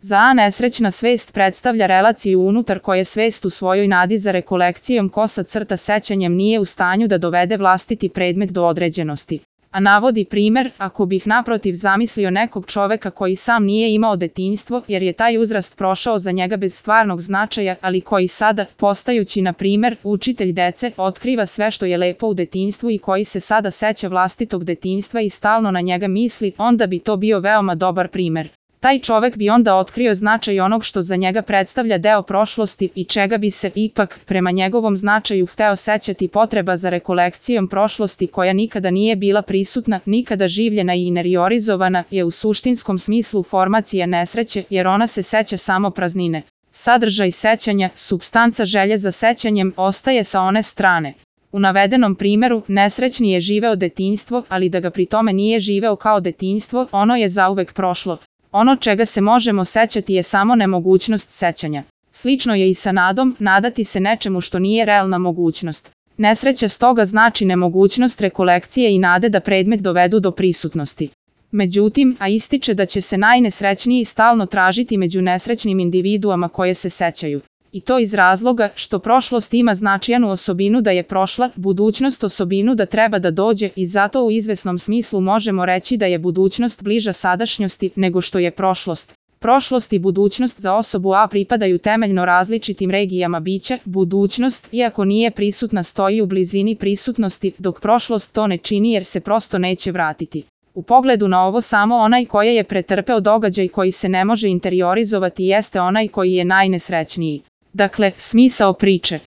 Za A nesrećna svest predstavlja relaciju unutar koje svest u svojoj nadi za rekolekcijom sećanjem nije u stanju da dovede vlastiti predmet do određenosti. A navodi primer, ako bih naprotiv zamislio nekog čoveka koji sam nije imao detinjstvo, jer je taj uzrast prošao za njega bez stvarnog značaja, ali koji sada, postajući na primer učitelj dece, otkriva sve što je lepo u detinjstvu i koji se sada seća vlastitog detinjstva i stalno na njega misli, onda bi to bio veoma dobar primer. Taj čovek bi onda otkrio značaj onog što za njega predstavlja deo prošlosti i čega bi se ipak, prema njegovom značaju, hteo sećati. Potreba za rekolekcijom prošlosti koja nikada nije bila prisutna, nikada življena i interiorizovana, je u suštinskom smislu formacija nesreće, jer ona se seća samo praznine. Sadržaj sećanja, supstanca želje za sećanjem, ostaje sa one strane. U navedenom primeru, nesrećni je živeo detinjstvo, ali da ga pri tome nije živeo kao detinjstvo, ono je zauvek prošlo. Ono čega se možemo sećati je samo nemogućnost sećanja. Slično je i sa nadom, nadati se nečemu što nije realna mogućnost. Nesreća stoga znači nemogućnost rekolekcije i nade da predmet dovedu do prisutnosti. Međutim, a ističe da će se najnesrećniji stalno tražiti među nesrećnim individuama koje se sećaju. I to iz razloga što prošlost ima značajnu osobinu da je prošla, budućnost osobinu da treba da dođe i zato u izvesnom smislu možemo reći da je budućnost bliža sadašnjosti nego što je prošlost. Prošlost i budućnost za osobu A pripadaju temeljno različitim regijama bića, budućnost, iako nije prisutna, stoji u blizini prisutnosti, dok prošlost to ne čini jer se prosto neće vratiti. U pogledu na ovo samo onaj koji je pretrpeo događaj koji se ne može interiorizovati jeste onaj koji je najnesrećniji. Dakle, smisao priče.